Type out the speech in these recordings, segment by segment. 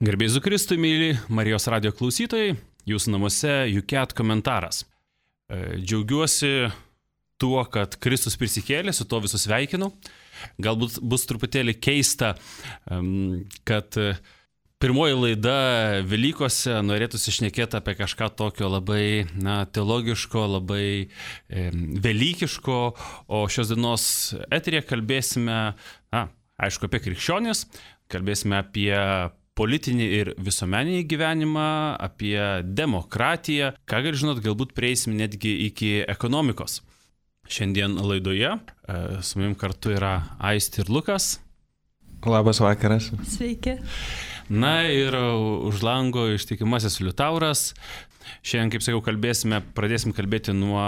Garbėzu Kristui, mėly Marijos radijo klausytojai, jūsų namuose UCAT komentaras. Džiaugiuosi tuo, kad Kristus prisikėlė, su to visus sveikinu. Galbūt bus truputėlį keista, kad pirmoji laida Velykose norėtųsi šnekėti apie kažką tokio labai teologiško, labai velykiško, o šios dienos eteryje kalbėsime, aišku, apie krikščionis, kalbėsime apie politinį ir visuomeninį gyvenimą, apie demokratiją. Ką gali žinot, galbūt prieisim netgi iki ekonomikos. Šiandien laidoje su manim kartu yra Aistė ir Lukas. Labas vakaras. Sveiki. Na ir už lango ištikimasis Liutauras. Šiandien, kaip sakiau, pradėsim kalbėti nuo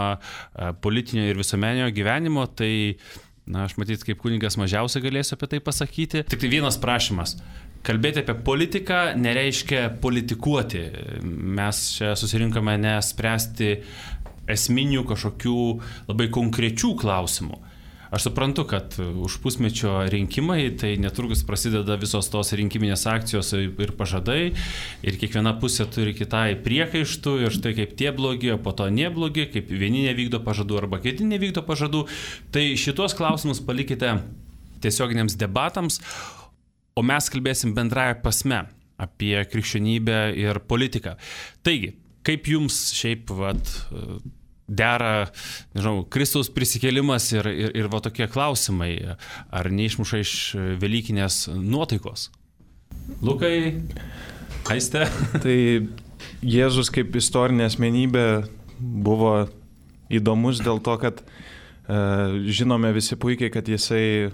politinio ir visuomeninio gyvenimo. Tai, aš matyt, kaip kunigas mažiausiai galėsiu apie tai pasakyti. Tik tai vienas prašymas. Kalbėti apie politiką nereiškia politikuoti. Mes čia susirinkome nespręsti esminių kažkokių labai konkrečių klausimų. Aš suprantu, kad už pusmečio rinkimai, tai netrukus prasideda visos tos rinkiminės akcijos ir pažadai, ir kiekviena pusė turi kitai priekaištų, ir štai kaip tie blogi, o po to neblogi, kaip vieni nevykdo pažadų arba kiti nevykdo pažadų. Tai šitos klausimus palikite tiesioginiams debatams, o mes kalbėsim bendrąją prasme apie krikščionybę ir politiką. Taigi, kaip jums šiaip dera, Kristaus prisikėlimas ir tokie klausimai, ar neišmuša iš velykinės nuotaikos? Lukai, Aiste? Tai Jėzus kaip istorinė asmenybė buvo įdomus dėl to, kad žinome visi puikiai, kad jisai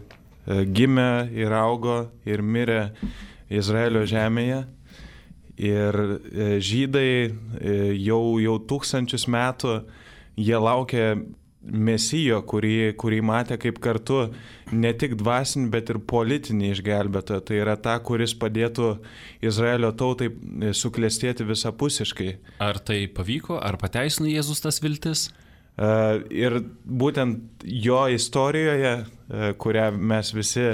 gimė ir augo ir mirė Izraelio žemėje. Ir žydai jau tūkstančius metų jie laukė Mesijo, kurį matė kaip kartu ne tik dvasinį, bet ir politinį išgelbėtoją. Tai yra ta, kuris padėtų Izraelio tautai suklestėti visapusiškai. Ar tai pavyko, ar pateisino Jėzus tas viltis? Ir būtent jo istorijoje, kurią mes visi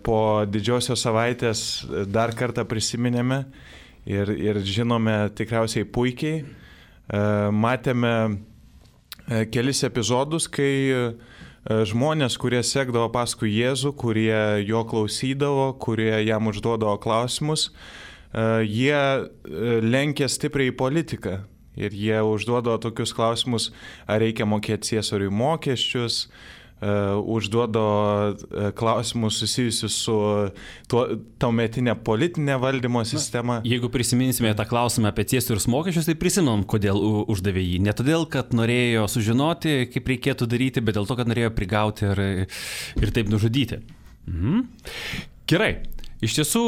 po didžiosios savaitės dar kartą prisiminėme ir žinome tikriausiai puikiai, matėme kelis epizodus, kai žmonės, kurie sekdavo paskui Jėzų, kurie jo klausydavo, kurie jam užduodavo klausimus, jie lenkė stipriai į politiką. Ir jie užduodavo tokius klausimus, ar reikia mokėti Ciesoriui mokesčius, užduodavo klausimus susijusius su tuometinė politinė valdymo sistema. Jeigu prisiminsime tą klausimą apie Ciesorius mokesčius, tai prisimenom, kodėl uždavė jį. Ne todėl, kad norėjo sužinoti, kaip reikėtų daryti, bet dėl to, kad norėjo prigauti ir taip nužudyti. Gerai. Iš tiesų,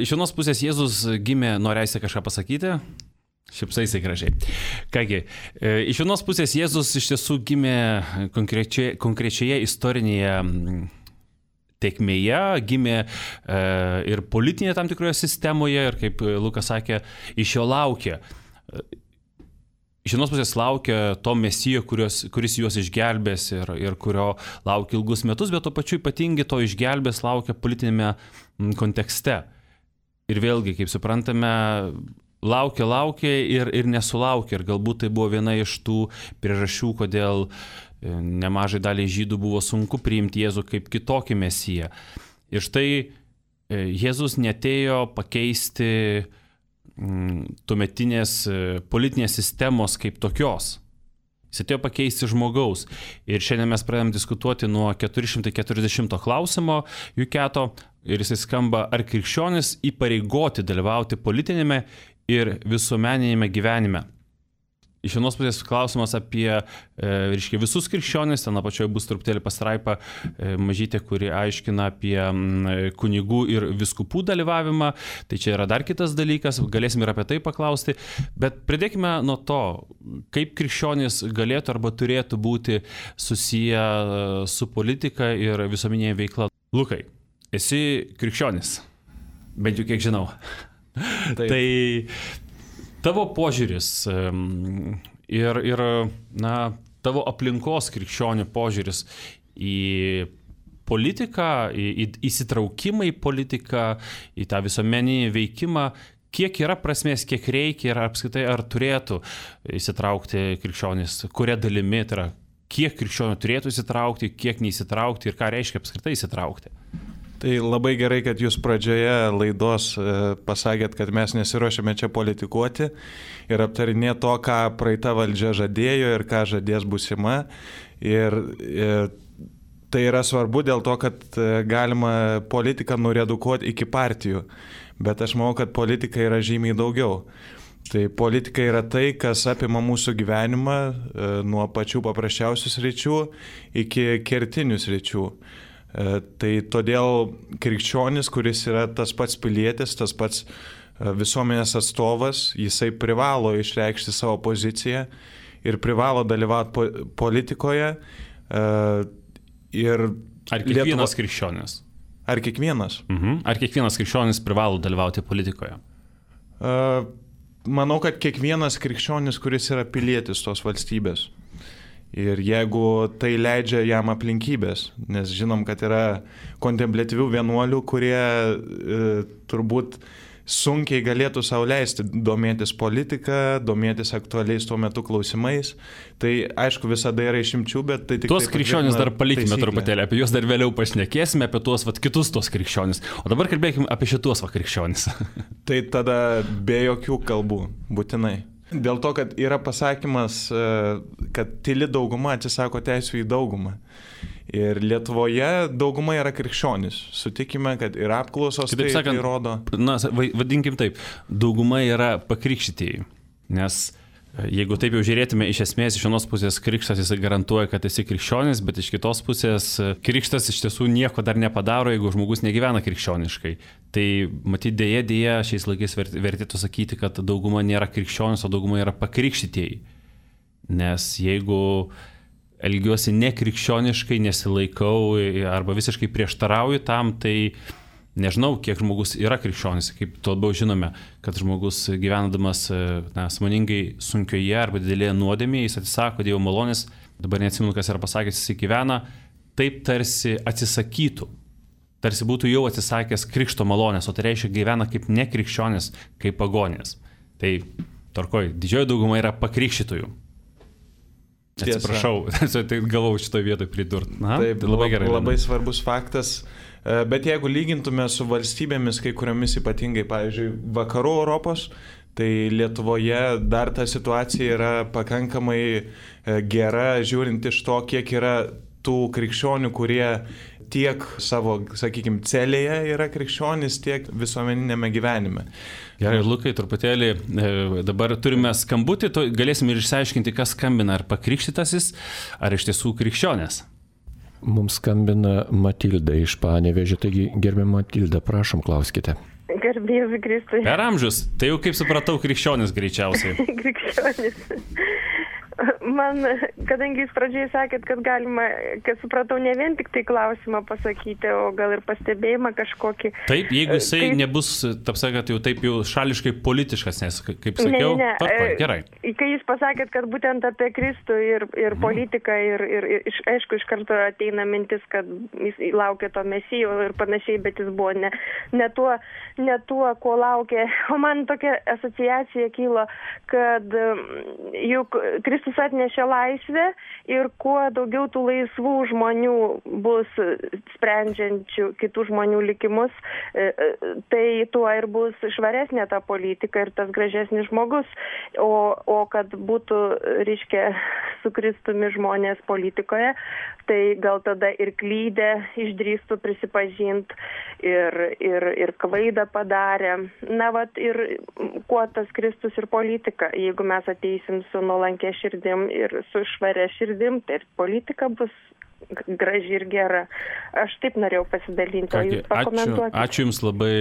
iš vienos pusės Jėzus gimė, norėsi kažką pasakyti? Šipsaisi gražiai. Kągi, iš vienos pusės Jėzus iš tiesų gimė konkrečioje istorinėje tėkmėje, gimė ir politinėje tam tikroje sistemoje, ir kaip Lukas sakė, iš jo laukia. Iš vienos pusės laukia to Mesijo, kuris juos išgelbės ir kurio laukia ilgus metus, bet to pačiu ypatingai to išgelbės laukia politinėme kontekste. Ir vėlgi, kaip suprantame, laukia ir nesulaukia. Ir galbūt tai buvo viena iš tų priežasčių, kodėl nemažai daliai žydų buvo sunku priimti Jėzų kaip kitokį Mesiją. Ir štai Jėzus neatėjo pakeisti tuometinės politinės sistemos kaip tokios. Jis atėjo pakeisti žmogaus. Ir šiandien mes pradėjom diskutuoti nuo 440 klausimo UCAT-o ir jisai skamba, ar krikščionis įpareigoti dalyvauti politinėme ir visuomeninėme gyvenime. Iš vienos pusės klausimas apie visus krikščionis, ten apačioje bus truputėlį pastraipa mažytė, kuri aiškina apie kunigų ir vyskupų dalyvavimą. Tai čia yra dar kitas dalykas, galėsim ir apie tai paklausti. Bet pradėkime nuo to, kaip krikščionis galėtų arba turėtų būti susiję su politika ir visuomeninė veikla. Lukai, esi krikščionis, bent jau kiek žinau. Taip. Tai tavo požiūris ir tavo aplinkos krikščionių požiūris į politiką, į įsitraukimą į politiką, į tą visuomeninį veikimą, kiek yra prasmės, kiek reikia ir apskritai ar turėtų įsitraukti krikščionys, kuria dalimi, tai yra, kiek krikščionių turėtų įsitraukti, kiek neįsitraukti ir ką reiškia apskritai įsitraukti. Tai labai gerai, kad jūs pradžioje laidos pasakėt, kad mes nesiruošiame čia politikuoti ir aptarinėti to, ką praeita valdžia žadėjo ir ką žadės būsima. Ir tai yra svarbu dėl to, kad galima politiką nuredukuoti iki partijų, bet aš manau, kad politika yra žymiai daugiau. Tai politika yra tai, kas apima mūsų gyvenimą nuo pačių paprasčiausių sričių iki kertinių sričių. Tai todėl krikščionis, kuris yra tas pats pilietis, tas pats visuomenės atstovas, jisai privalo išreikšti savo poziciją ir privalo dalyvauti politikoje. Ir ar kiekvienas krikščionis? Ar kiekvienas? Ar kiekvienas krikščionis privalo dalyvauti politikoje? Manau, kad kiekvienas krikščionis, kuris yra pilietis tos valstybės. Ir jeigu tai leidžia jam aplinkybės, nes žinom, kad yra kontempliatyvių vienuolių, kurie turbūt sunkiai galėtų sau leisti domėtis politika, domėtis aktualiais tuo metu klausimais, tai aišku visada yra išimčių, bet tai tik... Tuos krikščionis dar palikime truputėlį, apie juos dar vėliau pašnekėsime, apie tuos kitus tos krikščionis. O dabar kalbėkime apie šitus krikščionis. Tai tada be jokių kalbų, būtinai. Dėl to, kad yra pasakymas, kad tyli dauguma atsisako teisų į daugumą. Ir Lietuvoje dauguma yra krikščionis. Sutikime, kad ir apklausos tai rodo. Na, vadinkim taip, dauguma yra pakrikštytieji. Nes jeigu taip jau žiūrėtume, iš esmės iš vienos pusės krikštas jis garantuoja, kad esi krikščionis, bet iš kitos pusės krikštas iš tiesų nieko dar nepadaro, jeigu žmogus negyvena krikščioniškai. Tai matyt dėja šiais laikais vertėtų sakyti, kad dauguma nėra krikščionis, o dauguma yra pakrikštytieji. Nes jeigu elgiuosi nekrikščioniškai, nesilaikau arba visiškai prieštarauju tam, tai nežinau, kiek žmogus yra krikščionis, kaip to labiau žinome, kad žmogus gyvendamas sąmoningai sunkioje arba didelėje nuodėmėje, jis atsisako Dievo malonės, dabar neatsimenu, kas yra pasakęs, jis gyvena, taip tarsi atsisakytų, tarsi būtų jau atsisakęs krikšto malonės, o tai reiškia gyvena kaip nekrikščionis, kaip pagonės. Tai tvarkoj, didžioji dauguma yra pakrikštytojų. Atsiprašau, tai galvau šitoje vietoje pridurti. Taip, tai labai gerai. Labai svarbus faktas. Bet jeigu lygintume su valstybėmis, kai kuriomis ypatingai, pavyzdžiui, vakarų Europos, tai Lietuvoje dar ta situacija yra pakankamai gera, žiūrint iš to, kiek yra tų krikščionių, kurie tiek savo, sakykime, celėje yra krikščionys, tiek visuomeninėme gyvenime. Gerai, Lukai, truputėlį dabar turime skambutį, galėsime ir išsiaiškinti, kas skambina, ar pakrikštytasis, ar iš tiesų krikščionės. Mums skambina Matilda iš Panevėžio, taigi gerbiama Matilda, prašom, klauskite. Garbėsiu Kristui. Per amžius, tai jau kaip supratau, krikščionis greičiausiai. Krikščionis. Man, kadangi jūs pradžiai sakėt, kad galima, kad supratau, ne vien tik tai klausimą pasakyti, o gal ir pastebėjimą kažkokį. Taip, jeigu jisai nebus, taip sakant, jau taip jau šališkai politiškas, nes, kaip sakiau, gerai. Kai jūs pasakėt, kad būtent apie Kristų ir politiką, ir aišku, iš karto ateina mintis, kad jis laukia to mesijo ir panašiai, bet jis buvo ne tuo, ko laukia. O man tokia asociacija kilo, kad juk Kristus atnešė laisvę ir kuo daugiau tų laisvų žmonių bus sprendžiančių kitų žmonių likimus, tai tuo ir bus švaresnė ta politika ir tas gražesnis žmogus. O kad būtų, reiškia, su Kristumi žmonės politikoje, tai gal tada ir klydę išdrįstų prisipažinti ir klaidą padarė. Na, vat, ir kuo tas Kristus ir politika, jeigu mes ateisim su nuolankia širdim ir su švaria širdim, tai ir politika bus graži ir gera. Aš taip norėjau pasidalinti, o jūs pakomentuokite. Ačiū Jums labai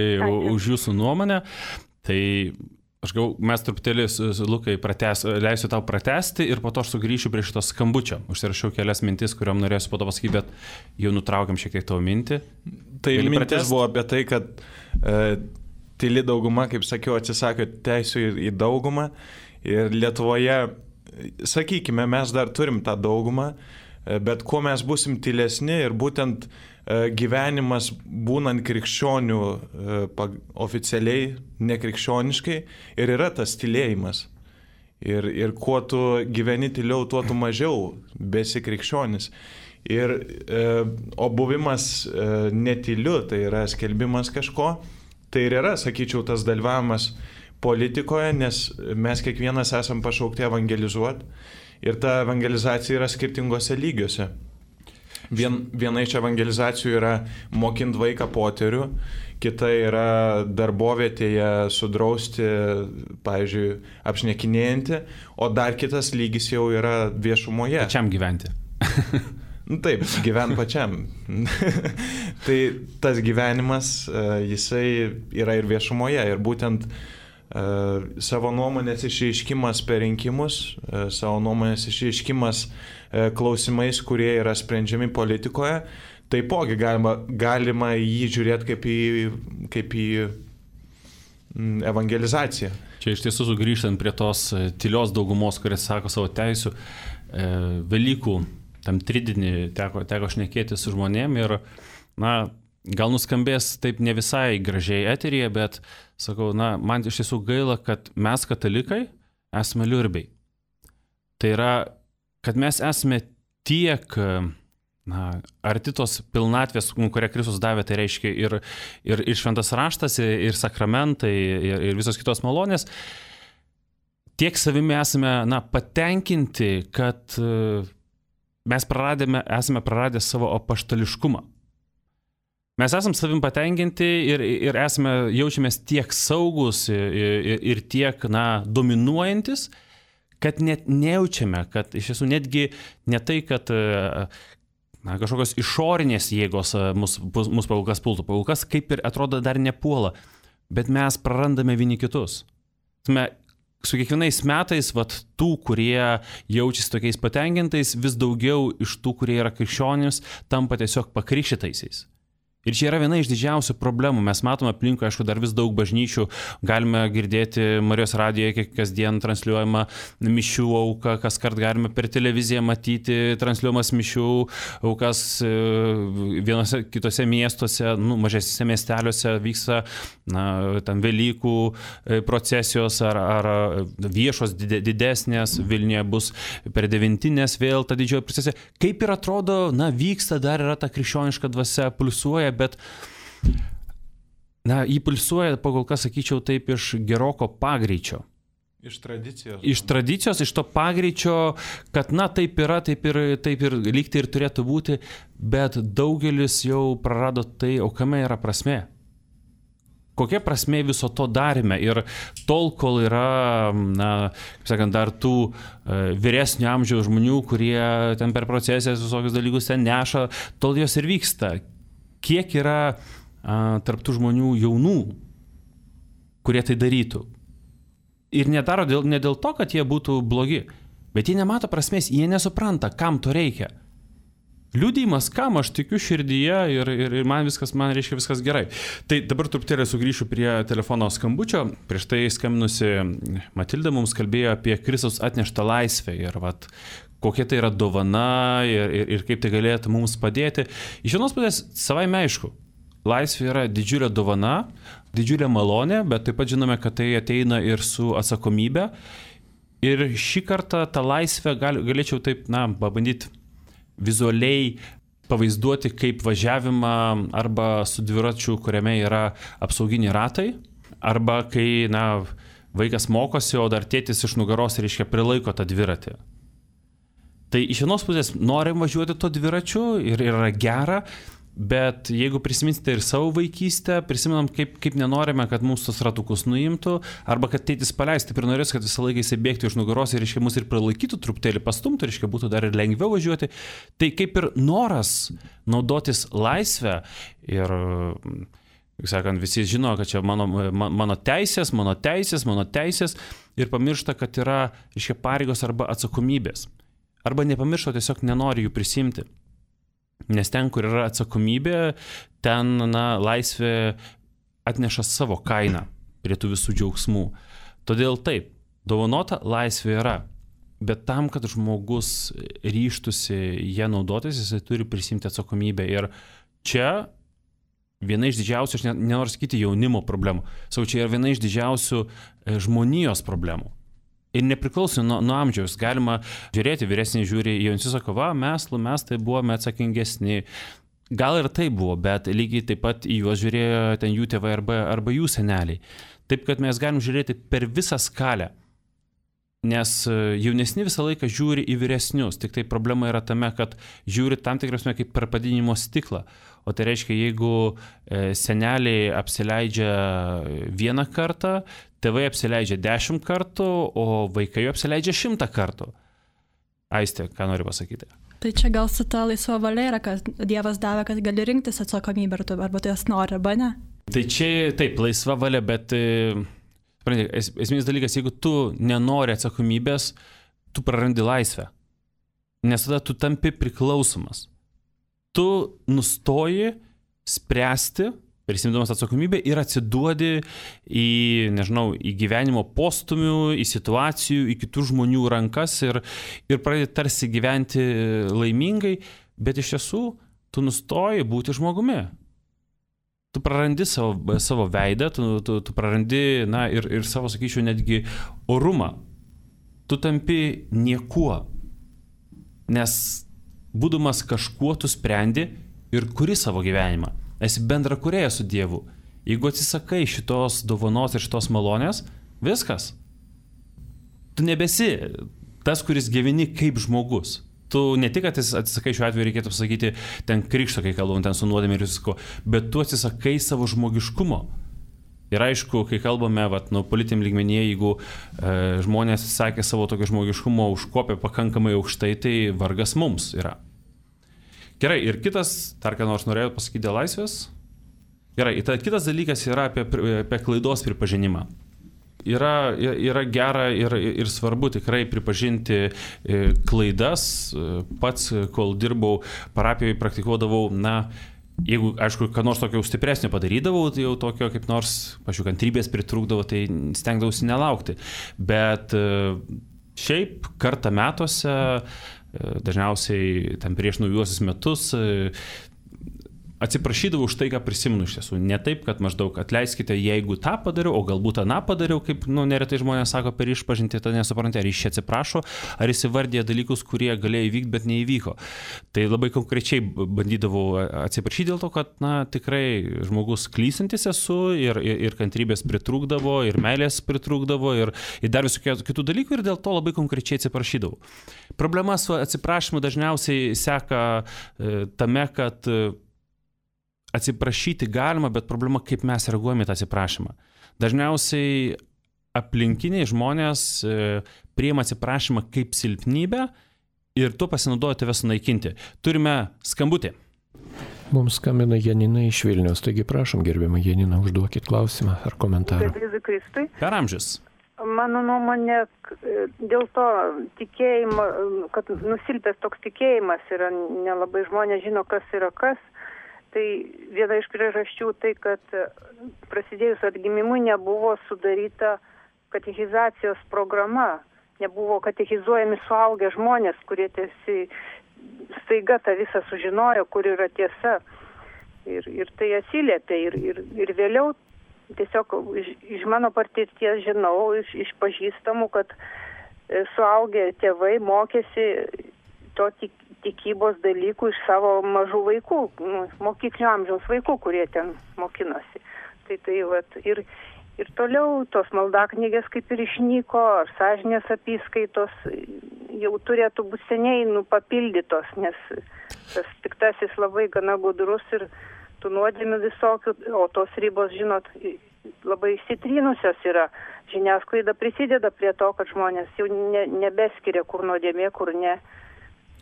už Jūsų nuomonę. Tai aš galvoju, mes truputėlį, Lukai, leisiu tau pratesti ir po to aš sugrįšiu prie šito skambučio. Užsirašiau kelias mintis, kuriuom norėsiu po to pasakyti, bet jau nutraukiam šiek tiek tavo mintį. Tai mintis buvo apie tai, kad tyli dauguma, kaip sakiau, atsisakė teisų į daugumą ir Lietuvoje, sakykime, mes dar turim tą daugumą, bet kuo mes busim tylesni ir būtent gyvenimas būnant krikščionių oficialiai, nekrikščioniškai ir yra tas tylėjimas. Ir kuo tu gyveni tyliau, tuo tu mažiau besi krikščionis. O buvimas netyliu, tai yra skelbimas kažko, tai ir yra, sakyčiau, tas dalyvavimas politikoje, nes mes kiekvienas esam pašaukti evangelizuoti ir ta evangelizacija yra skirtingose lygiuose. Viena iš evangelizacijų yra mokint vaiką poterių, kita yra darbovietėje sudrausti, pavyzdžiui, apšnekinėjantį, o dar kitas lygis jau yra viešumoje. Pačiam gyventi. Taip, gyvent pačiam. Tai tas gyvenimas, jisai yra ir viešumoje ir būtent savo nuomonės išreiškimas per rinkimus, savo nuomonės išreiškimas klausimais, kurie yra sprendžiami politikoje, taipogi galima jį žiūrėti kaip į evangelizaciją. Čia iš tiesų sugrįžtant prie tos tylios daugumos, kuris sako savo teisių, Velykų tam tridinį teko šnekėti su žmonėm ir, gal nuskambės taip ne visai gražiai eteryje, bet sakau, man iš tiesų gaila, kad mes katalikai esame liurbiai. Tai yra, kad mes esame tiek, arti tos pilnatvės, kurią Kristus davė, tai reiškia ir šventas raštas, ir sakramentai, ir visos kitos malonės, tiek savimi esame, patenkinti, kad mes esame praradę savo apaštališkumą. Mes esame savim patenkinti ir jaučiamės tiek saugus ir tiek, dominuojantis, kad net nejaučiame, kad iš tiesų netgi ne tai, kad kažkokios išorinės jėgos mus paulkas pultų. Paulkas kaip ir atrodo dar nepuola, bet mes prarandame vieni kitus. Su kiekvienais metais, tų, kurie jaučiasi tokiais patenkintais, vis daugiau iš tų, kurie yra krikščionys, tampa tiesiog pakrikštytaisiais. Ir čia yra viena iš didžiausių problemų. Mes matome aplinkui, aišku, dar vis daug bažnyčių. Galime girdėti Marijos radijoje kasdien transliuojama mišių auka, kas kart galime per televiziją matyti transliuojamas mišių aukas vienose kitose miestuose, mažesnėse miesteliuose vyksta tam Velykų procesijos ar viešos didesnės. Vilniuje bus per devintinės vėl ta didžioji procesija. Kaip ir atrodo, vyksta, dar yra ta krikščioniška dvasia, pulsuoja, bet jį pulsuoja, kol kas sakyčiau, taip iš geroko pagreičio. Iš tradicijos. Iš tradicijos, iš to pagreičio, kad taip yra, taip ir lygtai ir turėtų būti, bet daugelis jau prarado tai, o kame yra prasmė. Kokia prasmė viso to darime? Ir tol, kol yra, kaip sakant, dar tų vyresnio amžiaus žmonių, kurie ten per procesijas visokius dalykus ten neša, tol jos ir vyksta. Kiek yra tarptų žmonių jaunų, kurie tai darytų. Ir nedaro ne dėl to, kad jie būtų blogi, bet jie nemato prasmės, jie nesupranta, kam to reikia. Liudijimas, kam aš tikiu širdyje ir man reiškia viskas gerai. Tai dabar truputėlį sugrįšiu prie telefono skambučio. Prieš tai skambinusi Matilda mums kalbėjo apie Kristaus atneštą laisvę ir kokia tai yra dovana ir kaip tai galėtų mums padėti. Iš vienos pusės savaime aišku, laisvė yra didžiulė dovana, didžiulė malonė, bet taip pat žinome, kad tai ateina ir su atsakomybė. Ir šį kartą tą laisvę galėčiau taip, pabandyti vizualiai pavaizduoti kaip važiavimą arba su dviračiu, kuriame yra apsauginiai ratai, arba kai vaikas mokosi, o dar tėtis iš nugaros, reiškia, prilaiko tą dviratį. Tai iš vienos pusės norim važiuoti to dviračiu ir yra gera, bet jeigu prisiminsite ir savo vaikystę, prisimenam, kaip nenorime, kad mūsų tos ratukus nuimtų, arba kad tėtis paleistų, taip ir norės, kad visą laiką jisai bėgtų iš nugaros ir, reiškia, mus ir prilaikytų, truputėlį pastumtų, reiškia, būtų dar ir lengviau važiuoti. Tai kaip ir noras naudotis laisvę ir, kaip sakant, visi žino, kad čia mano teisės ir pamiršta, kad yra, reiškia, pareigos arba atsakomybės. Arba nepamiršta, tiesiog nenori jų prisimti. Nes ten, kur yra atsakomybė, ten laisvė atneša savo kainą prie tų visų džiaugsmų. Todėl taip, dovanota laisvė yra. bet tam, kad žmogus ryžtųsi ją naudotis, jisai turi prisimti atsakomybę. Ir čia viena iš didžiausių, aš nenoriu sakyti jaunimo problemų, čia yra viena iš didžiausių žmonijos problemų. Ir nepriklausomai nuo amžiaus, galima žiūrėti, vyresniai žiūri, jaunesni sako, mes tai buvome atsakingesni. Gal ir tai buvo, bet lygiai taip pat į juos žiūrėjo ten jų tėvai arba jų seneliai. Taip, kad mes galim žiūrėti per visą skalę. Nes jaunesni visą laiką žiūri į vyresnius, tik tai problema yra tame, kad žiūri tam tikrasme kaip per padidinimo stiklą. O tai reiškia, jeigu seneliai apsileidžia 1 kartą, tėvai apsileidžia 10 kartų, o vaikai apsileidžia 100 kartų. Aistė, ką nori pasakyti? Tai čia gal su ta laisva valia yra, kad Dievas davė, kad gali rinktis atsakomybę, arba tu jas nori, arba ne? Tai čia taip, laisva valia, bet... Esminis dalykas, jeigu tu nenori atsakomybės, tu prarandi laisvę. Nes tada tu tampi priklausomas. Tu nustoji spręsti, prisimdamas atsakomybę ir atsiduodi į gyvenimo postumių, į situacijų, į kitų žmonių rankas ir pradedi tarsi gyventi laimingai, bet iš tiesų tu nustoji būti žmogumi. Tu prarandi savo veidą, tu prarandi, ir savo, sakyčiau, netgi orumą. Tu tampi niekuo. Nes būdamas kažkuo tu sprendi ir kuri savo gyvenimą. Esi bendrakūrėja su Dievu. Jeigu atsisakai šitos dovanos ir šitos malonės, viskas. Tu nebesi tas, kuris gyveni kaip žmogus. Tu ne tik atsisakai, šiuo atveju reikėtų pasakyti ten krikšto, kai kalbam ten su nuodėme ir visko, bet tu atsisakai savo žmogiškumo. Ir aišku, kai kalbame politiniam lygmenyje, jeigu žmonės atsisakė savo tokio žmogiškumo, užkopė pakankamai aukštai, tai vargas mums yra. Gerai, ir kitas, dar ką nors norėjau pasakyti dėl laisvės? Gerai, kitas dalykas yra apie klaidos pripažinimą. Yra gera ir svarbu tikrai pripažinti klaidas. Pats, kol dirbau parapijoje, praktikuodavau, jeigu, aišku, ką nors tokio stipresnio padarydavau, tai jau tokio kaip nors, kantrybės pritrūkdavo, tai stengdavausi nelaukti. Bet šiaip kartą metuose, dažniausiai tam prieš naujuosius metus, atsiprašydavau už tai, ką prisimenu iš tiesų. Ne taip, kad maždaug atleiskite, jeigu tą padariau, o galbūt aną padariau, kaip neretai žmonės sako per išpažintį, tai nesuprantate, ar jis atsiprašo, ar jis įvardė dalykus, kurie galėjo įvykti, bet neįvyko. Tai labai konkrečiai bandydavau atsiprašyti dėl to, kad tikrai žmogus klystantis esu ir kantrybės pritrūkdavo, ir meilės pritrūkdavo, ir dar visų kitų dalykų, ir dėl to labai konkrečiai atsiprašydavau. Problema su atsiprašymu dažniausiai seka tame, kad atsiprašyti galima, bet problema, kaip mes reaguojame į tą atsiprašymą. Dažniausiai aplinkiniai žmonės priima atsiprašymą kaip silpnybę ir tuo pasinaudoja tave sunaikinti. Turime skambutį. Mums skambina Janina iš Vilniaus, taigi prašom, gerbiama Janina, užduokit klausimą ar komentarą. Per amžius. Mano nuomonė, dėl to tikėjimo, kad nusilpęs toks tikėjimas yra, nelabai žmonės žino, kas yra kas. Tai viena iš priežasčių tai, kad prasidėjus atgimimui nebuvo sudaryta katechizacijos programa, nebuvo katechizuojami suaugę žmonės, kurie staiga tą visą sužinojo, kur yra tiesa. Ir tai atsiliepia. Ir vėliau tiesiog iš mano patirties žinau, iš pažįstamų, kad suaugę tėvai mokėsi to tikybos dalykų iš savo mažų vaikų, mokyklinio amžiaus vaikų, kurie ten mokinosi. Ir toliau tos maldaknygės kaip ir išnyko, ar sąžinės apyskaitos jau turėtų būti seniai papildytos, nes tas piktasis labai gana gudrus ir tų nuodėmių visokių, o tos ribos, žinot, labai įsitrynusios yra. Žiniasklaida prisideda prie to, kad žmonės jau nebeskiria, kur nuodėmė, kur ne.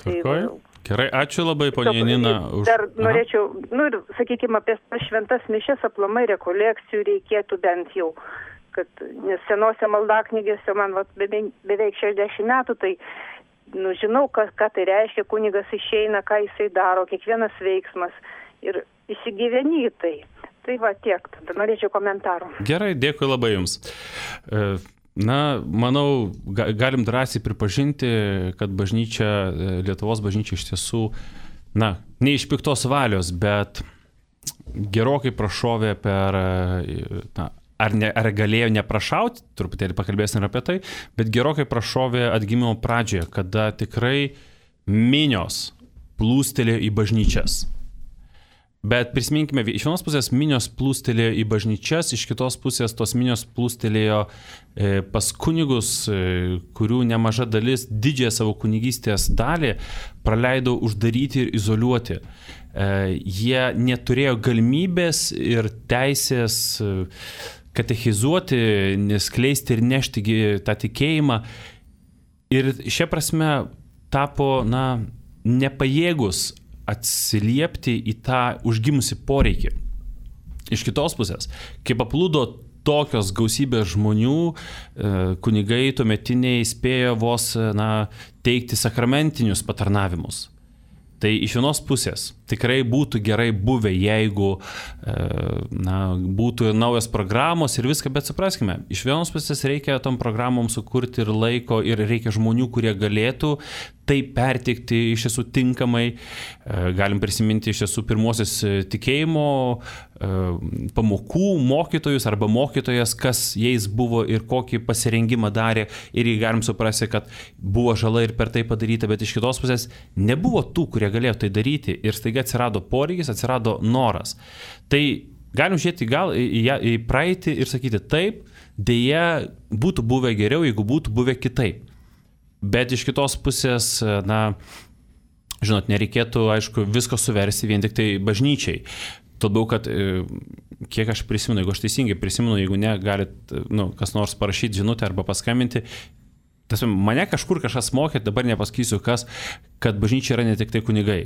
Gerai, ačiū labai, ponia Janina. Dar norėčiau, ir sakykime, apie šventas mišias aplamai rekolekcijų reikėtų bent jau, nes senose maldaknygėse man beveik 60 metų, tai žinau, ką tai reiškia, kunigas išeina, ką jisai daro, kiekvienas veiksmas ir įsigyveni į tai. Tai tiek, tada norėčiau komentarų. Gerai, dėkui labai jums. Manau, galim drąsiai pripažinti, kad bažnyčia, Lietuvos bažnyčia iš tiesų, ne iš piktos valios, bet gerokai prašovė per, ar galėjo neprašauti, truputėlį pakalbėsim apie tai, bet gerokai prašovė atgimimo pradžioje, kada tikrai minios plūstelėjo į bažnyčias. Bet prisiminkime, iš vienos pusės minios plūstelėjo į bažnyčias, iš kitos pusės tos minios plūstelėjo pas kunigus, kurių nemaža dalis, didžiąją savo kunigystės dalį praleido uždaryti ir izoliuoti. Jie neturėjo galimybės ir teisės katechizuoti, neskleisti ir nešti tą tikėjimą. Ir šia prasme tapo, nepajėgus atsiliepti į tą užgimusi poreikį. Iš kitos pusės, kai paplūdo tokios gausybės žmonių, kunigai tuometiniai spėjo vos teikti sakramentinius patarnavimus. Tai iš vienos pusės tikrai būtų gerai buvę, jeigu būtų naujos programos ir viską, bet supraskime, iš vienos pusės reikia tom programom sukurti ir laiko ir reikia žmonių, kurie galėtų tai perteikti iš tiesų tinkamai. Galim prisiminti iš tiesų pirmosios tikėjimo pamokų mokytojus arba mokytojas, kas jais buvo ir kokį pasirengimą darė, ir galim suprasti, kad buvo žala ir per tai padaryta, bet iš kitos pusės nebuvo tų, kurie galėjo tai daryti ir staiga atsirado poreikis, atsirado noras. Tai galim žiūrėti gal į praeitį ir sakyti taip, dėja būtų buvę geriau, jeigu būtų buvę kitaip. Bet iš kitos pusės, žinot, nereikėtų, aišku, visko suversti vien tik tai bažnyčiai. Todėl, kad kiek aš prisimenu, jeigu aš teisingai prisimenu, jeigu ne, galit, kas nors parašyti žinutę arba paskambinti. Mane kažkas mokė, dabar nepasakysiu kas, kad bažnyčia yra ne tik tai kunigai.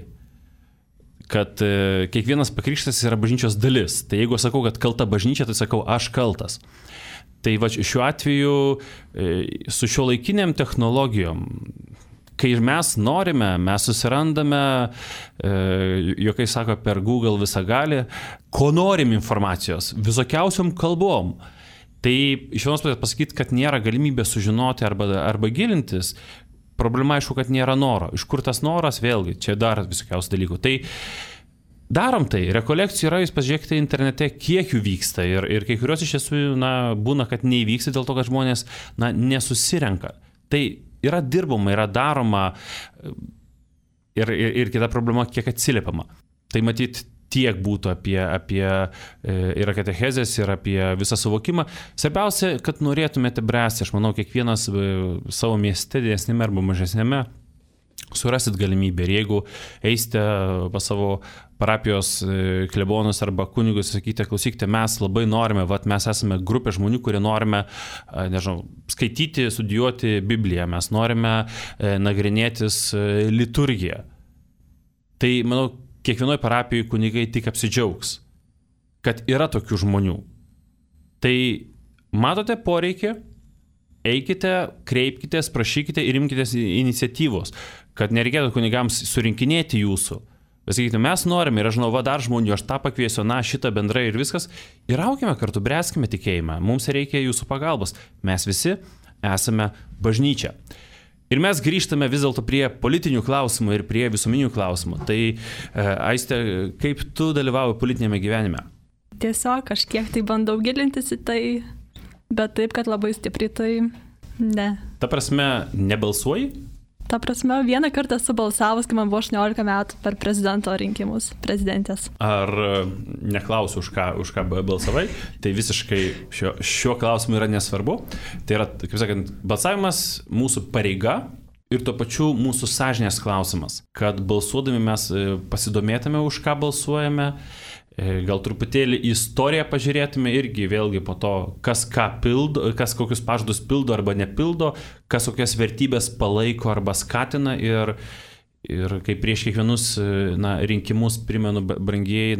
Kad kiekvienas pakrikštas yra bažnyčios dalis. Tai jeigu sakau, kad kalta bažnyčia, tai sakau, aš kaltas. Tai šiuo atveju su šiuolaikiniam technologijom, kai mes norime, mes susirandame, jokai sako per Google visagalį, ko norim informacijos, visokiausiom kalbom. Tai iš vienos pusės pasakyti, kad nėra galimybė sužinoti arba gilintis, problema aišku, kad nėra noro. Iš kur tas noras, vėlgi, čia dar visokiausių dalykų. Tai darom tai, rekolekcijų yra, jūs pažiūrėkite internete, kiek jų vyksta ir kai kurios iš tiesų būna, kad neįvyksta dėl to, kad žmonės nesusirenka. Tai yra dirbama, yra daroma ir kita problema, kiek atsiliepiama. Tai matyt tiek būtų apie ir katechezės, ir apie visą suvokimą. Svarbiausia, kad norėtumėte bręsti, aš manau, kiekvienas savo mieste, didesnėme arba mažesnėme, surasit galimybę. Ir jeigu eisite pas savo parapijos klebonus arba kunigus, sakykite, klausykite, mes labai norime, mes esame grupė žmonių, kurie norime, skaityti, studijuoti Bibliją, mes norime nagrinėtis liturgiją. Tai, manau, kiekvienoje parapijoje kunigai tik apsidžiaugs, kad yra tokių žmonių. Tai matote poreikį, eikite, kreipkitės, prašykite ir imkitės iniciatyvos, kad nereikėtų kunigams surinkinėti jūsų. Bet sakykite, mes norime ir aš žinau, dar žmonių, aš tą pakviesiu, šitą bendrai ir viskas. Ir aukime kartu, bręskime tikėjimą. Mums reikia jūsų pagalbos. Mes visi esame bažnyčia. Ir mes grįžtame vis dėlto prie politinių klausimų ir prie visuomenių klausimų. Tai, Aiste, kaip tu dalyvauji politinėme gyvenime? Tiesiog kažkiek tai bandau gilintis į tai, bet taip, kad labai stipriai tai ne. Ta prasme, nebalsuoji? Ta prasme, vieną kartą esu balsavus, kai man buvo 18 metų per prezidento rinkimus, prezidentės. Ar neklausiu, už ką balsavai, tai visiškai šiuo klausimu yra nesvarbu. Tai yra, kaip sakant, balsavimas mūsų pareiga ir tuo pačiu mūsų sąžinės klausimas, kad balsuodami mes pasidomėtume, už ką balsuojame. Gal truputėlį istoriją pažiūrėtume irgi vėlgi po to, kas ką pildo, kas kokius pažadus pildo arba nepildo, kas kokias vertybės palaiko arba skatina ir kaip prieš kiekvienus rinkimus, primenu, brangieji,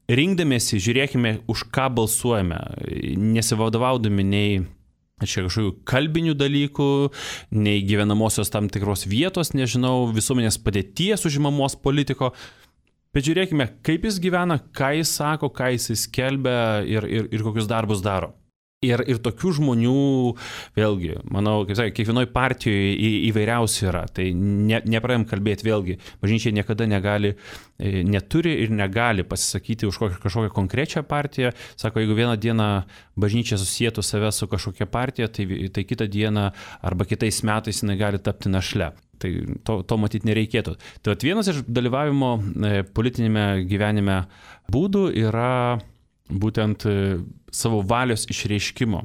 rinkdamėsi, žiūrėkime, už ką balsuojame, nesivadovaudami nei čia kažkokių kalbinių dalykų, nei gyvenamosios tam tikros vietos, nežinau, visuomenės padėties užimamos politiko. Bet žiūrėkime, kaip jis gyvena, ką jis sako, ką jis skelbia ir kokius darbus daro. Ir tokių žmonių, vėlgi, manau, kaip sakė, kiekvienoje partijoje įvairiausių yra. Tai nepradėjom kalbėti, vėlgi, bažnyčia niekada neturi ir negali pasisakyti už kažkokią konkrečią partiją. Sako, jeigu vieną dieną bažnyčia susietų save su kažkokia partija, tai kitą dieną arba kitais metais jinai gali tapti našle. Tai to matyti nereikėtų. Tai vienas iš dalyvavimo politinėme gyvenime būdų yra būtent savo valios išreiškimo.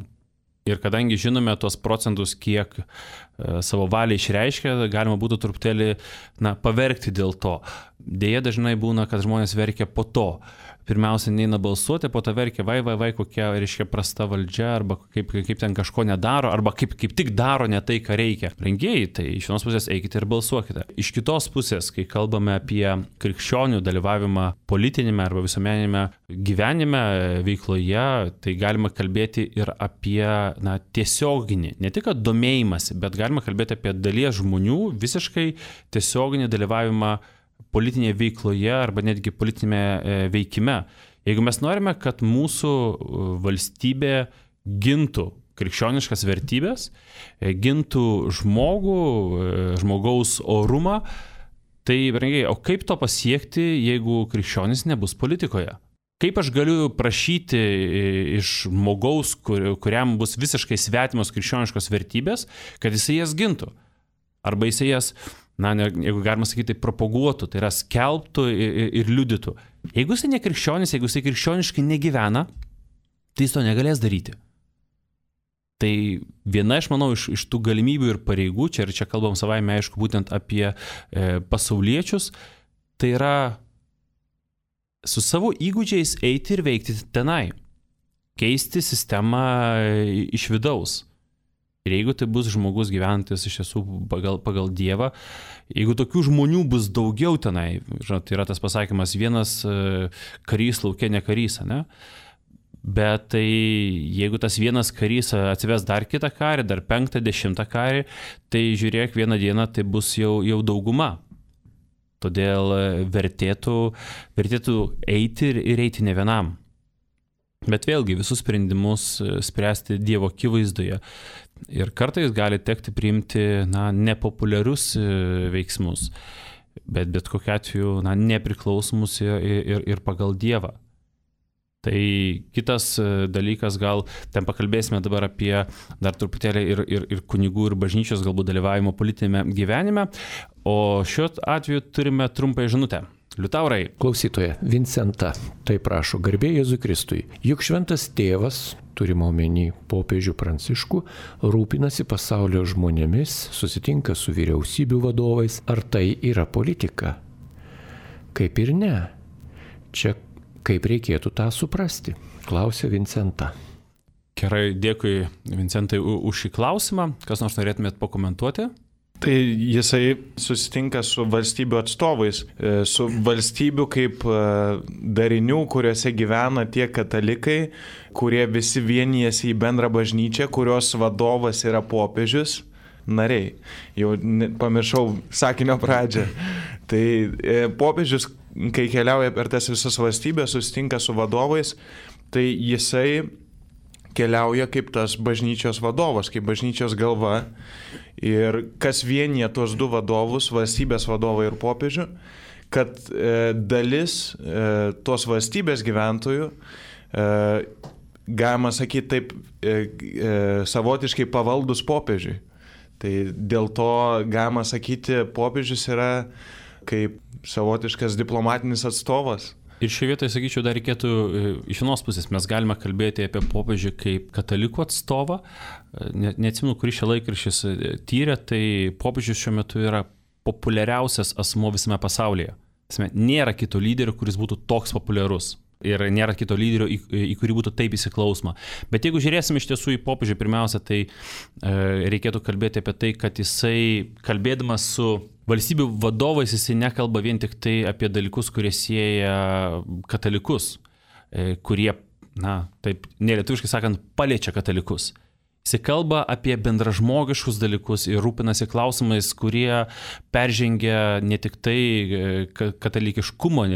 Ir kadangi žinome tuos procentus, kiek savo valią išreiškia, galima būtų truputėlį paverkti dėl to. Deja, dažnai būna, kad žmonės verkia po to. Pirmiausia, neina balsuoti, po to verkia, vai, kokia, reiškia, prasta valdžia, arba kaip ten kažko nedaro, arba kaip tik daro ne tai, ką reikia. Rengėjai, tai iš vienos pusės eikite ir balsuokite. Iš kitos pusės, kai kalbame apie krikščionių dalyvavimą politinėme arba visuomeninėme gyvenime, veikloje, tai galima kalbėti ir apie tiesioginį, ne tik domėjimąsi, bet galima kalbėti apie dalies žmonių visiškai tiesioginį dalyvavimą politinėje veikloje arba netgi politinėme veikime. Jeigu mes norime, kad mūsų valstybė gintų krikščioniškas vertybės, gintų žmogaus orumą, tai, brangiai, o kaip to pasiekti, jeigu krikščionis nebus politikoje? Kaip aš galiu prašyti iš žmogaus, kuriam bus visiškai svetimos krikščioniškos vertybės, kad jisai jas gintų? Arba jisai jas, jeigu galima sakyti, tai propaguotų, tai yra skelbtų ir liudytų. Jeigu jisai nekrikščionis, jeigu jisai krikščioniškai negyvena, tai jis to negalės daryti. Tai viena iš, manau, iš tų galimybių ir pareigų, čia kalbam savaime, aišku, būtent apie pasauliečius, tai yra su savo įgūdžiais eiti ir veikti tenai, keisti sistemą iš vidaus. Ir jeigu tai bus žmogus gyvenantis iš tiesų pagal Dievą, jeigu tokių žmonių bus daugiau tenai, žinot, yra tas pasakymas, vienas karys lauke ne karys, ne? Bet tai jeigu tas vienas karys atsives dar kitą karį, dar 5, 10 karį, tai žiūrėk, vieną dieną tai bus jau dauguma. Todėl vertėtų eiti ir eiti ne vienam. Bet vėlgi visus sprendimus spręsti Dievo akivaizdoje. Ir kartais gali tekti priimti nepopuliarius veiksmus, bet kokiu atveju nepriklausomus ir pagal Dievą. Tai kitas dalykas, gal ten pakalbėsime dabar apie dar truputėlį ir kunigų ir bažnyčios galbūt dalyvavimo politinėme gyvenime, o šiuo atveju turime trumpą žinutę. Liutaurai. Klausytoja, Vincenta, tai prašo, garbė Jėzui Kristui. Juk šventas tėvas, turime omeny popiežių Pranciškų, rūpinasi pasaulio žmonėmis, susitinka su vyriausybių vadovais. Ar tai yra politika? Kaip ir ne. Čia kaip reikėtų tą suprasti? Klausė Vincenta. Gerai, dėkui Vincentai už šį klausimą. Kas nors norėtumėt pakomentuoti? Tai jisai susitinka su valstybių atstovais, su valstybių kaip darinių, kuriuose gyvena tie katalikai, kurie visi vienijasi į bendrą bažnyčią, kurios vadovas yra popiežius, nariai. Jau pamiršau sakinio pradžią. Tai popiežius, kai keliauja per tas visas valstybės, susitinka su vadovais, tai jisai keliauja kaip tas bažnyčios vadovas, kaip bažnyčios galva. Ir kas vienyje tuos du vadovus, valstybės vadovą ir popiežių, kad dalis tos valstybės gyventojų, galima sakyti taip, savotiškai pavaldus popiežiui. Tai dėl to galima sakyti, popiežius yra kaip savotiškas diplomatinis atstovas. Ir šioje vietoje, sakyčiau, dar reikėtų, iš vienos pusės mes galime kalbėti apie popiežių kaip katalikų atstovą. Neatsimenu, kuris šia laikraštis tyrė, tai popiežius šiuo metu yra populiariausias asmuo visame pasaulyje. Nėra kito lyderio, kuris būtų toks populiarus. Ir nėra kito lyderio, į kurį būtų taip įsiklausoma. Bet jeigu žiūrėsim iš tiesų į popiežių, pirmiausia, tai reikėtų kalbėti apie tai, kad jisai, kalbėdamas su valstybių vadovais, jisai nekalba vien tik tai apie dalykus, kurie sieja katalikus, kurie, taip nelietuviškai sakant, paliečia katalikus. Jis kalba apie bendražmogiškus dalykus ir rūpinasi klausimais, kurie peržengia ne tik tai katalikiškumo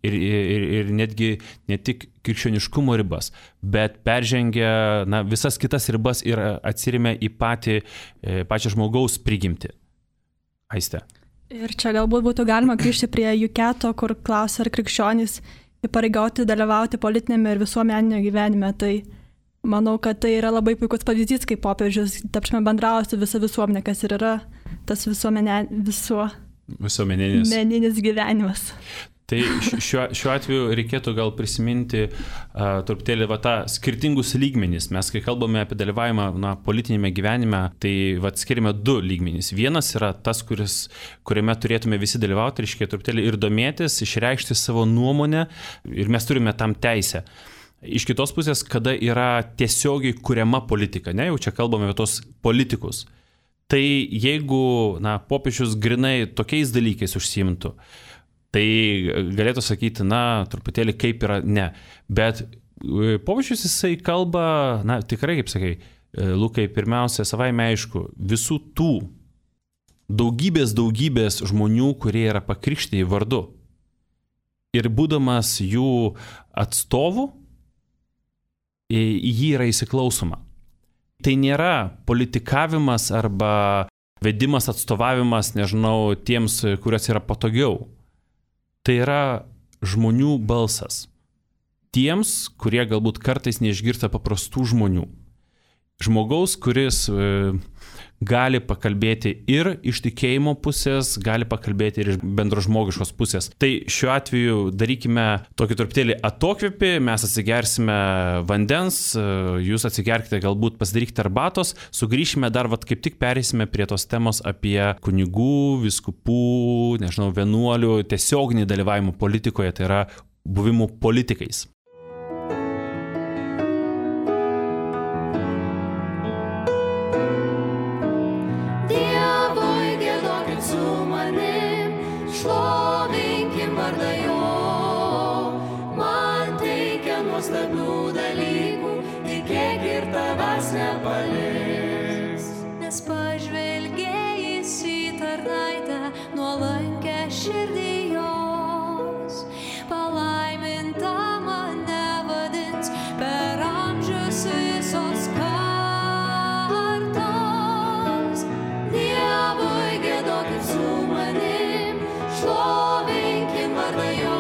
ir netgi ne tik krikščioniškumo ribas, bet peržengia visas kitas ribas ir atsiremia į pačią žmogaus prigimtį. Aiste. Ir čia galbūt būtų galima grįžti prie Juketo, kur klausia, ar krikščionys įpareigoti dalyvauti politinėme ir visuomeninio gyvenime. Tai manau, kad tai yra labai puikus pavyzdys, kaip popiežius bendrauja su visa visuomenė, kas ir yra tas visuomeninis gyvenimas. Tai šiuo atveju reikėtų gal prisiminti truputėlį tą skirtingus lygmenys. Mes, kai kalbame apie dalyvavimą politinėme gyvenime, tai skiriame 2 lygmenys. Vienas yra tas, kuriame turėtume visi dalyvauti, reiškia truputėlį ir domėtis, išreikšti savo nuomonę ir mes turime tam teisę. Iš kitos pusės, kada yra tiesiogiai kuriama politika, jau čia kalbame apie tos politikus, tai jeigu popiežius grinai tokiais dalykais užsiimtų, tai galėtų sakyti, truputėlį kaip yra, ne. Bet popiežius jisai kalba, tikrai, kaip sakai, Lukai, pirmiausia, savaime aišku, visų tų daugybės žmonių, kurie yra pakrikštyti vardu. Ir būdamas jų atstovų, į jį yra įsiklausoma. Tai nėra politikavimas arba vedimas, atstovavimas, nežinau, tiems, kuriuos yra patogiau. Tai yra žmonių balsas. Tiems, kurie galbūt kartais neišgirsta paprastų žmonių. Žmogaus, kuris gali pakalbėti ir iš tikėjimo pusės, gali pakalbėti ir iš bendražmogiškos pusės. Tai šiuo atveju darykime tokį truputėlį atokvėpį, mes atsigersime vandens, jūs atsigerkite, galbūt pasidarykite arbatos, sugrįšime dar, kaip tik perėsime prie tos temos apie kunigų, vyskupų, vienuolių, tiesioginį dalyvavimą politikoje, tai yra buvimų politikais. Šlovinkim vardą jo, man teikia nuostabių dalykų, tikėk ir tavęs nepaliks. Nes pažvelgėjęs į tarnaitę, nuolankę širdį jos, palaiminta mane vadins per amžius visos kartos. Dievui giedokit su manim, šlovinkim vardą jo,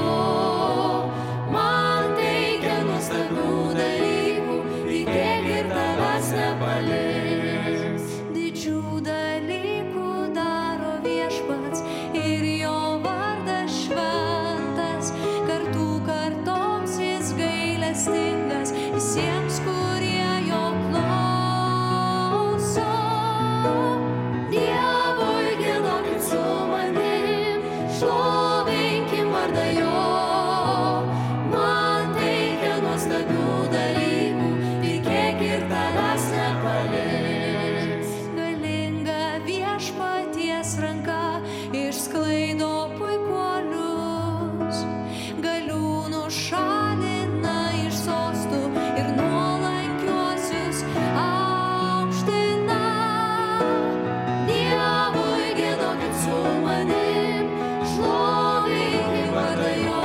man teikia nuostabių dalykų, tikėk ir tavęs nepaliks. Didžių dalykų daro viešpats ir jo vardas šventas, kartų kartoms jis gailestingas visiems, kurie jo klauso. Dievui giedokit su manim, šlovinkim vardą jo, man teikia nuostabių dalykų, tikėk ir tavęs nepaliks. Galinga viešpaties ranka išsklaido puikuolius, galiūnų šalina iš sostų ir nuolankiuosius aukština. Dievui giedokit su manim, šlovinkim vardą jo,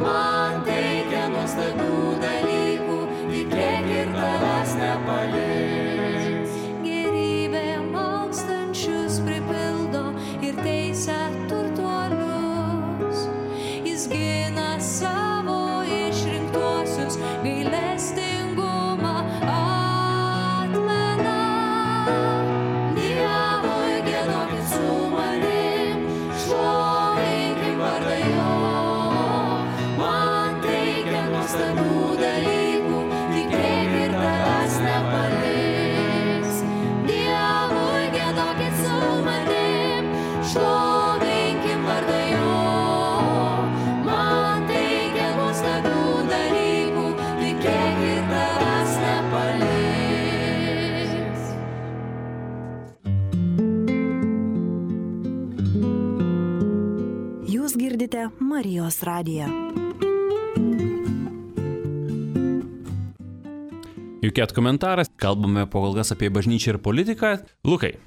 man teikia nuostabių dalykų, tikėk ir tavęs nepaliks. Gerybė malkstančius pripildo ir teisia turtuolius, jis gina savo išrinktuosius, gailestingumą atmena. Dievui giedokit su manim, šlovinkim vardą jo, man teikia nuostabių dalykų, tikėk ir tavęs nepaliks. Dievui giedokit su manim, šlovinkim vardą jo, man teikia nuostabių dalykų, tikėk ir tavęs nepaliks. Jūs girdite Marijos radiją. Juket komentaras, kalbame po kol kas apie bažnyčią ir politiką. Lukai,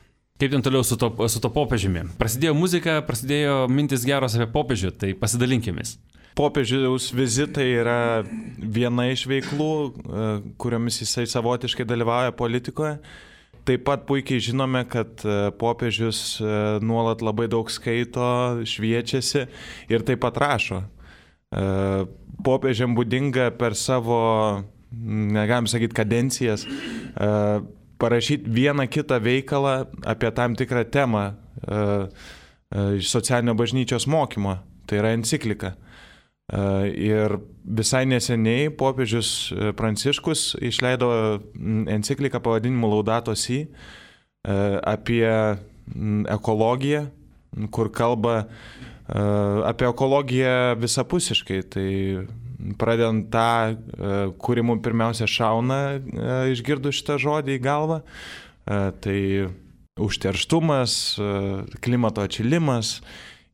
kaip ten toliau su to popiežiumi? Prasidėjo muzika, prasidėjo mintis geros apie popiežių, tai pasidalinkimės. Popiežiaus vizitai yra viena iš veiklų, kuriomis jisai savotiškai dalyvauja politikoje. Taip pat puikiai žinome, kad popiežius nuolat labai daug skaito, šviečiasi ir taip pat rašo. Popiežiam būdinga per savo, negalim sakyti, kadencijas, parašyti vieną kitą veikalą apie tam tikrą temą iš socialinio bažnyčios mokymo. Tai yra enciklika. Ir visai neseniai popiežius Pranciškus išleido encikliką pavadinimu Laudato Si apie ekologiją, kur kalba apie ekologiją visapusiškai. Tai pradedant tą, kuri mums pirmiausia šauna išgirdus šitą žodį į galvą, tai užterštumas, klimato atšilimas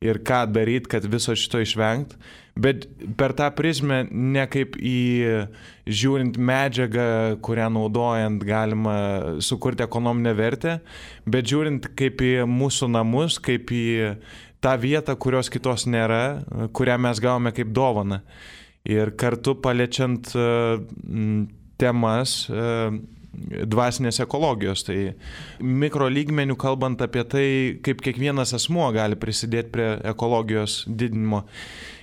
ir ką daryti, kad viso šito išvengt. Bet per tą prizmę ne kaip į žiūrint medžiagą, kurią naudojant galima sukurti ekonominę vertę, bet žiūrint kaip į mūsų namus, kaip į tą vietą, kurios kitos nėra, kurią mes gavome kaip dovaną. Ir kartu paliečiant temas dvasinės ekologijos. Tai mikrolygmenių kalbant apie tai, kaip kiekvienas asmuo gali prisidėti prie ekologijos didinimo.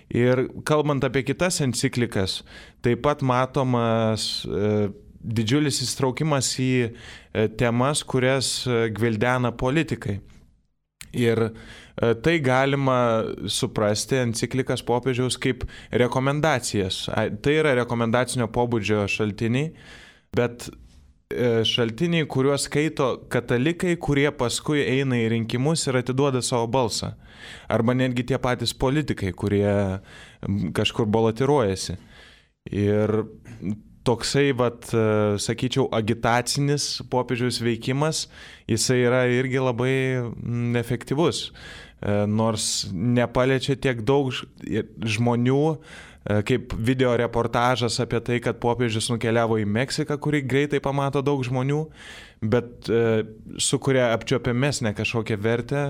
Ir kalbant apie kitas enciklikas, taip pat matomas didžiulis įsitraukimas į temas, kurias gvildena politikai. Ir tai galima suprasti enciklikas popiežiaus kaip rekomendacijas. Tai yra rekomendacinio pobūdžio šaltiniai, bet šaltiniai, kuriuos skaito katalikai, kurie paskui eina į rinkimus ir atiduoda savo balsą. Arba netgi tie patys politikai, kurie kažkur balotiruojasi. Ir toksai, sakyčiau, agitacinis popiežiaus veikimas, jisai yra irgi labai efektyvus. Nors nepaliečia tiek daug žmonių, kaip video reportažas apie tai, kad popiežius nukeliavo į Meksiką, kurį greitai pamato daug žmonių, bet sukuria apčiuopiamesnę kažkokią vertę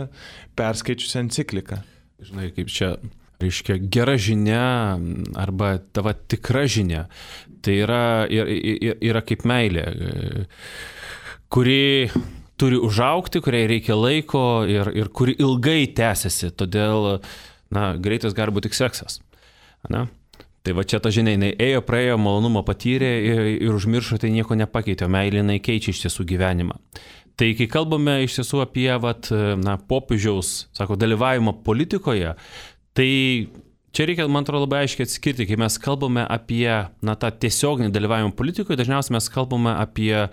perskaičius encikliką. Žinai, kaip čia, reiškia, gera žinia arba tava tikra žinia, tai yra kaip meilė, kuri turi užaugti, kuriai reikia laiko ir kuri ilgai tęsiasi, todėl, greitas gali būti tik seksas. Na? Tai va čia ta žinia, jinai ėjo, praėjo, malonumą patyrė ir užmiršo, tai nieko nepakeitė, meilė jinai keičia iš tiesų gyvenimą. Tai kai kalbame iš tiesų apie popiežiaus, dalyvavimą politikoje, tai čia reikia, man atrodo, labai aiškiai atskirti, kai mes kalbame apie tą tiesioginį dalyvavimą politikoje, dažniausiai mes kalbame apie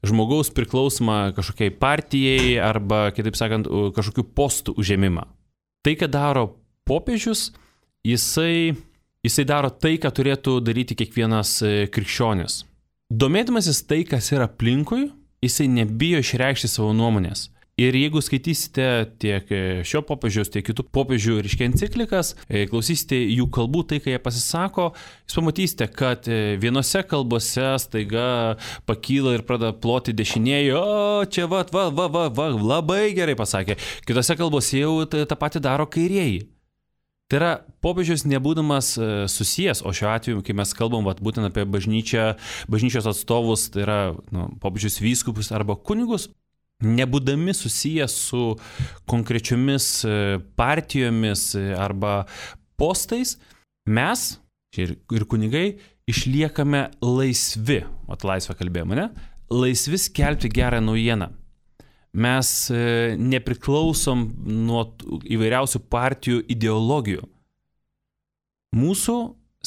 žmogaus priklausomą kažkokiai partijai arba, kitaip sakant, kažkokių postų užėmimą. Tai, ką daro popiežius, jisai daro tai, ką turėtų daryti kiekvienas krikščionis. Domėdamasis tai, kas yra aplinkui, jisai nebijo išreikšti savo nuomonės. Ir jeigu skaitysite tiek šio popiežiaus, tiek kitų popiežių enciklikas, klausysite jų kalbų, tai, kai jie pasisako, jūs pamatysite, kad vienose kalbose staiga pakyla ir pradeda ploti dešinieji, o čia labai gerai pasakė. Kitose kalbose jau tą patį daro kairieji. Tai yra popiežius nebūdamas susijęs, o šiuo atveju, kai mes kalbam būtent apie bažnyčios atstovus, tai yra popiežius vyskupus arba kunigus, nebūdami susijęs su konkrečiomis partijomis arba postais, mes ir kunigai išliekame laisvi, laisvę kalbėjome, ne? Laisvi skelbti gerą naujieną. Mes nepriklausom nuo įvairiausių partijų ideologijų. Mūsų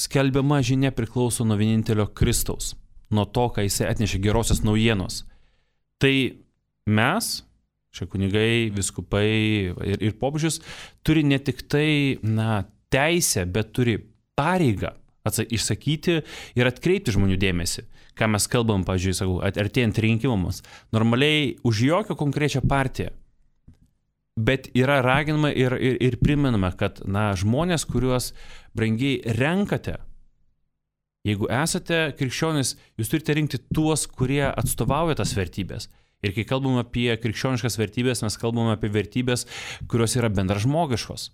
skelbiama žinia priklauso nuo vienintelio Kristaus, nuo to, ką jisai atnešė gerosios naujienos. Tai mes, šie kunigai, viskupai ir popiežius, turi ne tik tai teisę, bet turi pareigą išsakyti ir atkreipti žmonių dėmesį. Ką mes kalbam, pavyzdžiui, artėjant rinkimams, normaliai už jokią konkrečią partiją, bet yra raginama ir primenama, kad žmonės, kuriuos brangiai renkate, Jeigu esate krikščionis, jūs turite rinkti tuos, kurie atstovauja tas vertybės. Ir kai kalbam apie krikščioniškas vertybės, mes kalbam apie vertybės, kurios yra bendražmogiškos.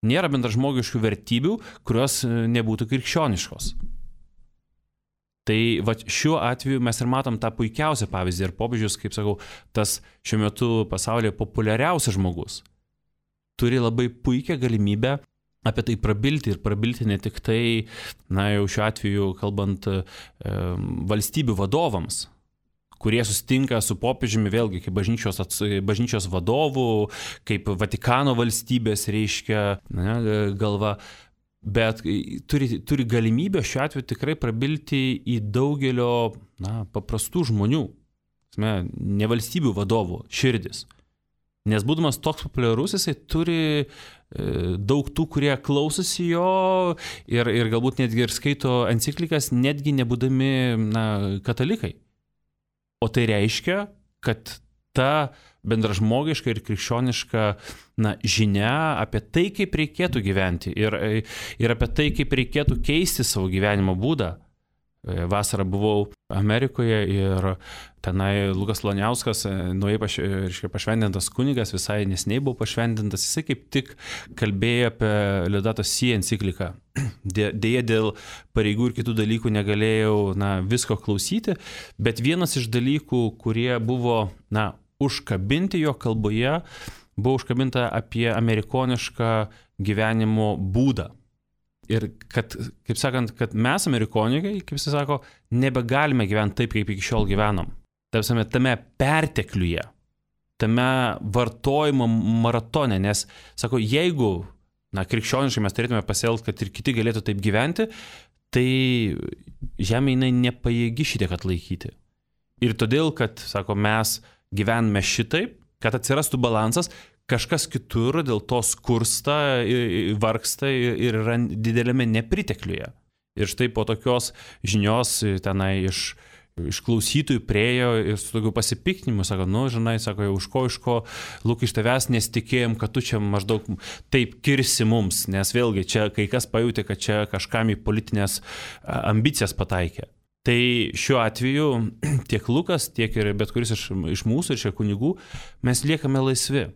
Nėra bendražmogiškų vertybių, kurios nebūtų krikščioniškos. Tai šiuo atveju mes ir matom tą puikiausią pavyzdį. Ir popiežius, kaip sakau, tas šiuo metu pasaulyje populiariausias žmogus turi labai puikią galimybę apie tai prabilti ir prabilti ne tik tai, jau šiuo atveju kalbant valstybių vadovams, kurie susitinka su popiežiumi vėlgi kaip bažnyčios vadovų, kaip Vatikano valstybės reiškia galva, bet turi galimybę šiuo atveju tikrai prabilti į daugelio paprastų žmonių, ne valstybių vadovų širdis. Nes būdamas toks populiarus, jisai turi daug tų, kurie klausosi jo ir galbūt netgi ir skaito enciklikas, netgi nebūdami katalikai. O tai reiškia, kad ta bendražmogiška ir krikščioniška žinia apie tai, kaip reikėtų gyventi ir apie tai, kaip reikėtų keisti savo gyvenimo būdą. Vasarą buvau Amerikoje ir tenai Lukas Loniauskas, naujai pašventintas kunigas, visai neseniai buvo pašventintas, jisai kaip tik kalbėjo apie Laudato Si encikliką. Deja, dėl pareigų ir kitų dalykų negalėjau visko klausyti, bet vienas iš dalykų, kurie buvo užkabinti jo kalboje, buvo užkabinta apie amerikonišką gyvenimo būdą. Ir kad, kaip sakant, kad mes amerikonikai, kaip jis sako, nebegalime gyventi taip, kaip iki šiol gyvenom. Tame pertekliuje, tame vartojimo maratone, nes, sako, jeigu, krikščioniškai mes turėtume pasielgti, kad ir kiti galėtų taip gyventi, tai žemė jinai nepajėgi šitiek atlaikyti. Ir todėl, kad, sako, mes gyvename šitaip, kad atsirastų balansas, kažkas kitur dėl to skursta, vargsta ir yra didelėme nepritekliuje. Ir štai po tokios žinios tenai iš klausytojų priejo ir su tokiu pasipiktinimu, sako, sako, jau iš ko, Luk, iš tavęs nesitikėjom, kad tu čia maždaug taip kirsi mums, nes vėlgi čia kai kas pajutė, kad čia kažkam į politinės ambicijas pataikė. Tai šiuo atveju tiek Lukas, tiek ir bet kuris iš mūsų ir šie kunigų, mes liekame laisvi.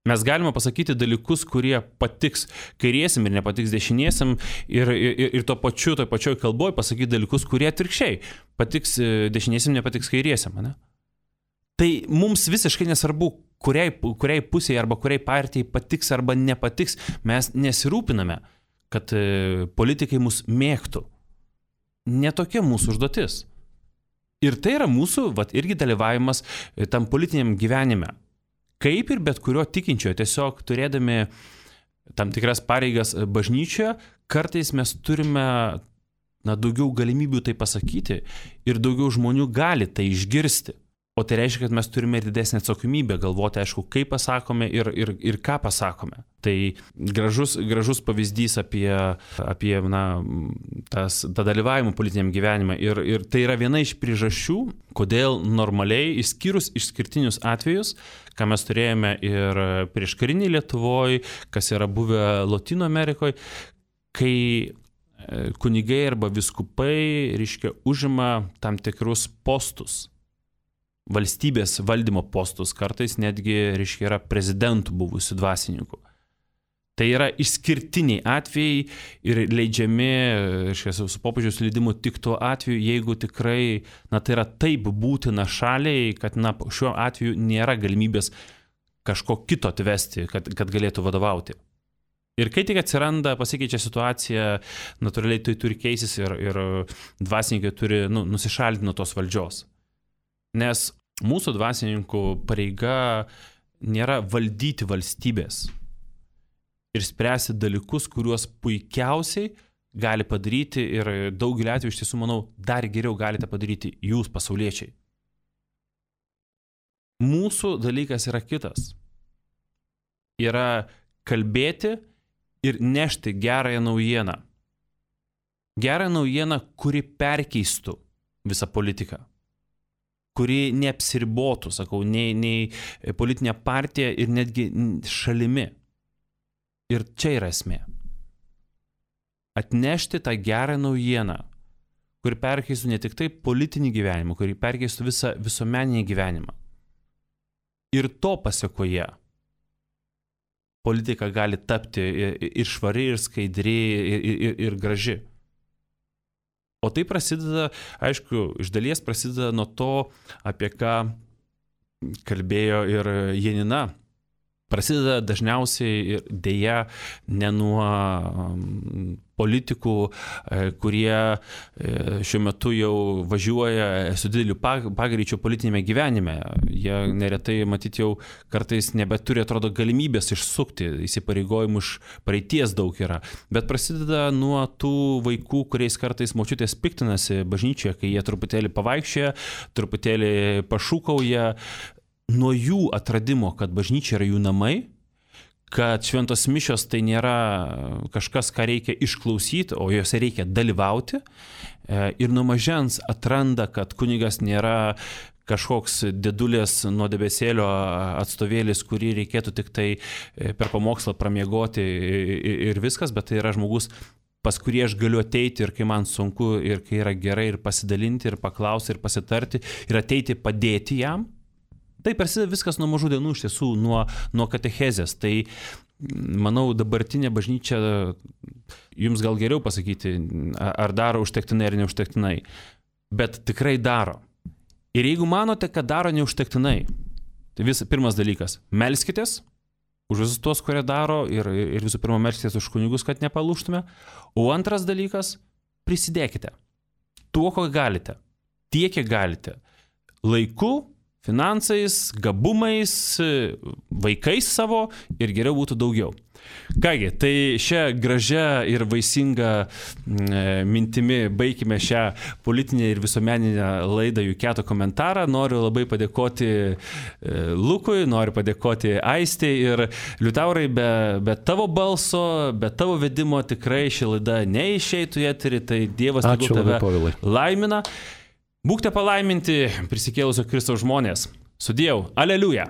Mes galime pasakyti dalykus, kurie patiks kairiesim ir nepatiks dešiniesiam ir toj pačioj kalboj pasakyti dalykus, kurie atvirkščiai patiks dešiniesiam, nepatiks kairiesiam. Ne? Tai mums visiškai nesvarbu, kuriai pusėje arba kuriai partijai patiks arba nepatiks. Mes nesirūpiname, kad politikai mus mėgtų. Netokia mūsų užduotis. Ir tai yra mūsų irgi dalyvavimas tam politiniam gyvenime. Kaip ir bet kurio tikinčiojo, tiesiog turėdami tam tikras pareigas bažnyčioje, kartais mes turime daugiau galimybių tai pasakyti ir daugiau žmonių gali tai išgirsti. O tai reiškia, kad mes turime ir didesnę atsakomybę galvoti, aišku, kaip pasakome ir ką pasakome. Tai gražus pavyzdys apie tą dalyvavimą politiniam gyvenime. Ir tai yra viena iš priežasčių, kodėl normaliai, išskyrus išskirtinius atvejus, ką mes turėjome ir prieškariniai Lietuvoje, kas yra buvę Lotynų Amerikoje, kai kunigai arba viskupai, reiškia, užima tam tikrus postus. Valstybės valdymo postus, kartais netgi, reiškia, yra prezidentų buvusių dvasininkų. Tai yra išskirtiniai atvejai ir leidžiami, reiškia, su popiežiaus leidimu tik tuo atveju, jeigu tikrai, tai yra taip būtina šaliai, kad, šiuo atveju nėra galimybės kažko kito atvesti, kad galėtų vadovauti. Ir kai tik atsiranda, pasikeičia situacija, natūraliai tai turi keisis ir dvasininkai turi nusišalinti nuo tos valdžios. Nes mūsų dvasininkų pareiga nėra valdyti valstybės ir spręsti dalykus, kuriuos puikiausiai gali padaryti ir daugelį atvejų, iš tiesų, manau, dar geriau galite padaryti jūs, pasauliečiai. Mūsų dalykas yra kitas. Yra kalbėti ir nešti gerąją naujieną. Gerąją naujieną, kuri perkeistų visą politiką. Kuri neapsiribotų, sakau, nei politinė partija ir netgi šalimi. Ir čia yra esmė. atnešti tą gerą naujieną, kuri perkeistų ne tik tai politinį gyvenimą, kuri perkeistų visą visuomeninį gyvenimą. Ir to pasiekoje politika gali tapti ir švari, ir skaidri, ir graži. O tai prasideda, aišku, iš dalies prasideda nuo to, apie ką kalbėjo ir Janina. Prasideda dažniausiai ir dėja ne nuo politikų, kurie šiuo metu jau važiuoja su dideliu pagreičiu politinėme gyvenime. Jie neretai, matyt, jau kartais nebeturi, atrodo, galimybės išsukti, įsipareigojimų iš praeities daug yra. Bet prasideda nuo tų vaikų, kuriais kartais močiutės piktinasi bažnyčioje, kai jie truputėlį pavaikščioja, truputėlį pašūkauja. Nuo jų atradimo, kad bažnyčia yra jų namai, kad šventos mišios tai nėra kažkas, ką reikia išklausyti, o juose reikia dalyvauti. Ir nuo mažens atranda, kad kunigas nėra kažkoks dėdulės nuo debesėlio atstovėlis, kurį reikėtų tik tai per pamokslą pramiegoti ir viskas, bet tai yra žmogus, pas kurį aš galiu ateiti ir kai man sunku, ir kai yra gerai, ir pasidalinti, ir paklausti, ir pasitarti, ir ateiti padėti jam. Tai prasideda viskas nuo mažų dienų, iš tiesų, nuo katechezės. Tai, manau, dabartinė bažnyčia, jums gal geriau pasakyti, ar daro užtektinai ar neužtektinai, bet tikrai daro. Ir jeigu manote, kad daro neužtektinai, tai pirmas dalykas, melskitės už visus tuos, kurie daro, ir visų pirma melskitės už kunigus, kad nepalūžtume. O antras dalykas, prisidėkite. Tuo, ko galite. Tiek, kiek galite. Laiku, finansais, gabumais, vaikais savo ir geriau būtų daugiau. Kągi, tai šią gražią ir vaisingą mintimi baigime šią politinę ir visuomeninę laidą Juketo komentarą. Noriu labai padėkoti Lukui, noriu padėkoti Aistei ir Liutaurai, be tavo balso, be tavo vedimo tikrai ši laida neišeitų į eterį, tai Dievas tegul tave laimina. Būkite palaiminti prisikėlusio Kristaus žmonės. Sudiev, aleliuja.